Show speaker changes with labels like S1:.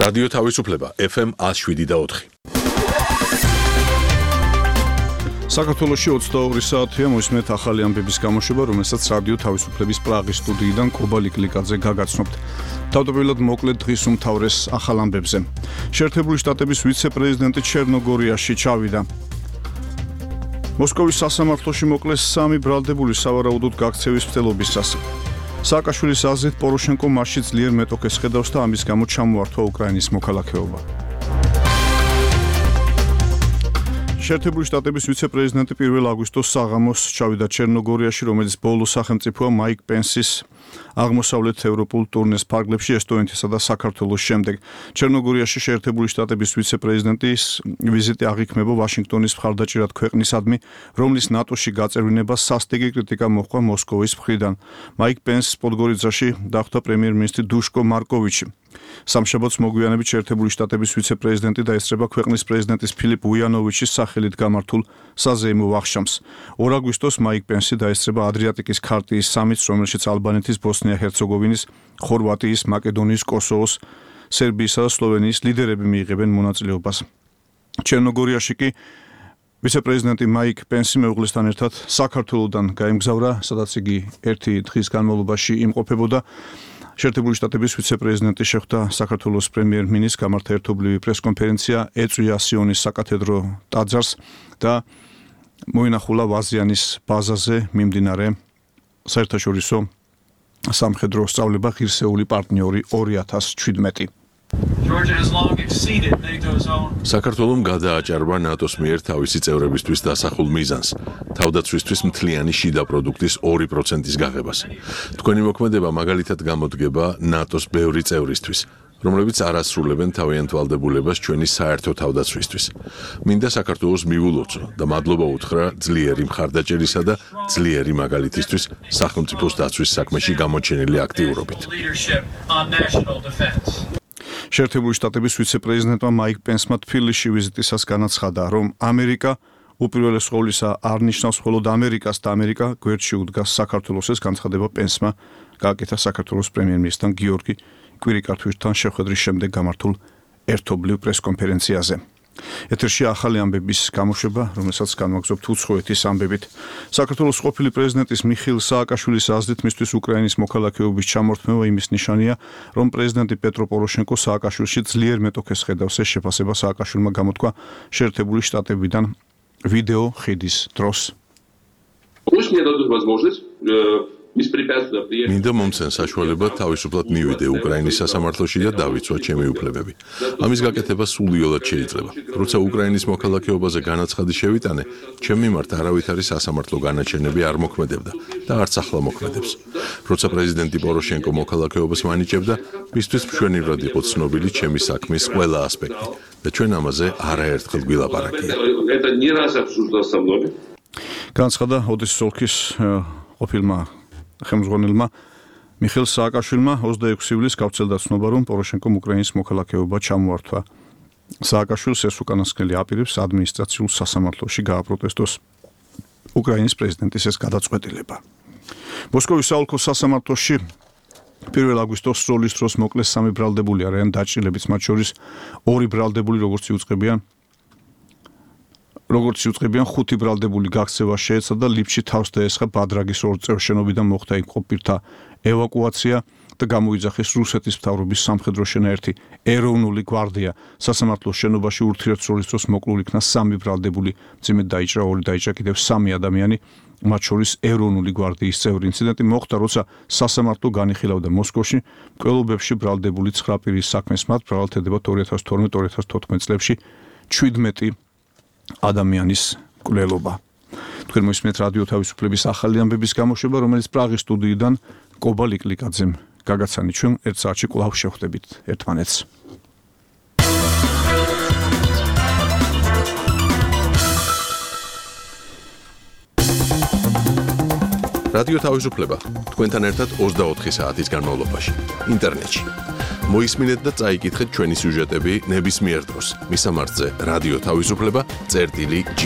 S1: რადიო თავისუფლება FM 107.4.
S2: საქართველოში 22 საათია მოისმენთ ახალი ამბების გამოშვება, რომელსაც რადიო თავისუფლების პრაღის სტუდიიდან კობალი კლიკაძე გაგაცნობთ. თავდაპირველად მოკლედ დღის უმთავრეს ახალ ამბებზე. შეერთებული შტატების ვიცე-პრეზიდენტი ჩერნოგორიაში ჩავიდა. მოსკოვის სასამართლოში მოკლეს 3 ბრალდებული სავარაუდოდ გაქცევის მცდელობისას. სააკაშვილის აზრით პოროშენკო მასში ძლიერ მეტოქეს ხედავს და ამის გამო ჩამოართვა უკრაინის მოქალაქეობა. შეერთებული შტატების ვიცე-პრეზიდენტი 1 აგვისტოს საღამოს ჩავიდა ჩერნოგორიაში, რომელიც ბოლო სახელმწიფოა მაიკ პენსის აღმოსავლეთ ევროპულ ტურნეს ფარგლებში ესტონეთისა და საქართველოს შემდეგ. ჩერნოგორიაში შეერთებული შტატების ვიცე-პრეზიდენტის ვიზიტი აღიქმება ვაშინგტონის მხარდაჭერად ქვეყნისადმი, რომლის ნატოში გაწევრიანებას სასტიკი კრიტიკა მოჰყვა მოსკოვის მხრიდან. მაიკ პენსს პოდგორიცაში დახვდა პრემიერ-მინისტრი დუშკო მარკოვიჩი. სამშაბათს მოგვიანებით შეერთებული შტატების ვიცე-პრეზიდენტი დაესწრება ქვეყნის პრეზიდენტის ფილიპ უიანოვიჩის სახელით გამართულ საზეიმო ვახშამს. 2 აგვისტოს მაიკ პენსი დაესწრება ადრიატიკის ქარტიის სამიტს, რომელშიც ალბანეთის, ბოსნია-ჰერცეგოვინის, ხორვატიის, მაკედონიის, კოსოვოს, სერბიისა და სლოვენიის ლიდერები მიიღებენ მონაწილეობას. ჩერნოგორიაში კი ვიცე-პრეზიდენტი მაიკ პენსი მეუღლესთან ერთად საქართველოდან გაემგზავრა, სადაც იგი 1 დღის განმავლობაში იმყოფებოდა. შეერთებული შტატების ვიცე-პრეზიდენტი შეხვდა საქართველოს პრემიერ-მინისტრს, გამართა ერთობლივი პრესკონფერენცია, ეწვია სიონის საკათედრო ტაძარს და მოინახულა ვაზიანის ბაზაზე მიმდინარე საერთაშორისო სამხედრო სწავლება ღირსეული პარტნიორი 2017.
S1: საქართველომ გადააჭარბა ნატოს მიერ თავისი წევრებისთვის დასახულ მიზანს, თავდაცვისთვის მთლიანი შიდა პროდუქტის 2%-ის გაღებას. თქვენი მოქმედება მაგალითად გამოდგება ნატოს ბევრი წევრისთვის, რომლებიც არ ასრულებენ თავიანთ ვალდებულებას ჩვენი საერთო თავდაცვისთვის. მინდა საქართველოს მივულოცო და მადლობა უთხრა ძლიერი მხარდაჭერისა და ძლიერი მაგალითისთვის სახელმწიფოს დაცვის საქმეში გამოჩენილი აქტიურობით.
S2: შეერთებული შტატების ვიცე-პრეზიდენტმა მაიკ პენსმა თბილისში ვიზიტისას განაცხადა, რომ ამერიკა უპირველეს ყოვლისა არ ნიშნავს მხოლოდ ამერიკას და ამერიკა გვერდში უდგას საქართველოს. ეს განცხადება პენსმა გააკეთა საქართველოს პრემიერ-მინისტრთან გიორგი კვირიკართვისთან შეხვედრის შემდეგ გამართულ ერთობლივ პრესკონფერენციაზე. ეთერში ახალი ამბების გამოშვება, რომელსაც განვაგრძობთ უცხოეთის ამბებით. საქართველოს ყოფილი პრეზიდენტის მიხეილ სააკაშვილის აზრით მისთვის უკრაინის მოქალაქეობის ჩამორთმევა იმის ნიშანია, რომ პრეზიდენტი პეტრო პოროშენკო სააკაშვილში ძლიერ მეტოქეს ხედავს. ეს შეფასება სააკაშვილმა გამოთქვა შეერთებული შტატებიდან ვიდეო ხიდის დროს.
S1: მინდა მომცენ საშუალება თავისუფლად მივიდე უკრაინის სასამართლოში და დავიცვა ჩემი უფლებები. ამის გაკეთება სულიოლად შეიძლება. როცა უკრაინის მოქალაქეობაზე განაცხადი შევიტანე, ჩემ მიმართ არავითარი სასამართლო განაჩენები არ მოქმედებდა და არც ახლა მოქმედებს. როცა პრეზიდენტი პოროშენკო მოქალაქეობას მანიჭებდა, მისთვის მშვენივრად იყო ცნობილი ჩემი საქმის ყველა ასპექტი და ჩვენ ამაზე არაერთხელ გვილაპარაკია.
S2: განაცხადა ოდესის ოლქის ყოფილმა ხელმძღვანელმა მიხეილ სააკაშვილმა 26 ივლისს გავრცელდა ცნობა, რომ პოროშენკომ უკრაინის მოქალაქეობა ჩამოართვა. სააკაშვილს ეს უკანასკნელი აპირებს ადმინისტრაციულ სასამართლოში გააპროტესტოს უკრაინის პრეზიდენტის ეს გადაწყვეტილება. მოსკოვის საოლქო სასამართლოში 1 აგვისტოს სროლის დროს მოკლეს 3 ბრალდებული არიან დაჭრილებიც, მათ შორის 2 ბრალდებული, როგორც იუწყებიან 5 ბრალდებული გაქცევა შეეცდა და ლიფჩი თავს დაესხა ბადრაგის 2 წევრ შენობიდან მოხდა იმყოფირთა ევაკუაცია და გამოიძახეს რუსეთის მთავრობის სამხედრო შენაერთი ეროვნული გვარდია. სასამართლოს შენობაში ურთიერთსროლის დროს მოკლულ იქნა 3 ბრალდებული, მძიმედ დაიჭრა 2 დაიჭრა კიდევ 3 ადამიანი, მათ შორის ეროვნული გვარდიის წევრი. ინციდენტი მოხდა, როცა სასამართლო განიხილავდა მოსკოვში მკვლელობებში ბრალდებული 9 პირის საქმეს. მათ ბრალდებათ 2012-2014 წლებში 17 ადამიანის მკვლელობა. თქვენ მოისმენთ რადიო თავისუფლების ახალი ამბების გამოშვება, რომელიც პრაღის სტუდიიდან კობალი კლიკაძემ გაგაცანი. ჩვენ 1 საათში კვლავ შევხვდებით ერთმანეთს.
S1: რადიო თავისუფლება თქვენთან ერთად 24 საათის განმავლობაში ინტერნეტში. მოისმინეთ და წაიკითხეთ ჩვენი სიუჟეტები ნებისმიერ დროს. მისამართზე რადიო თავისუფლება წერტილი G.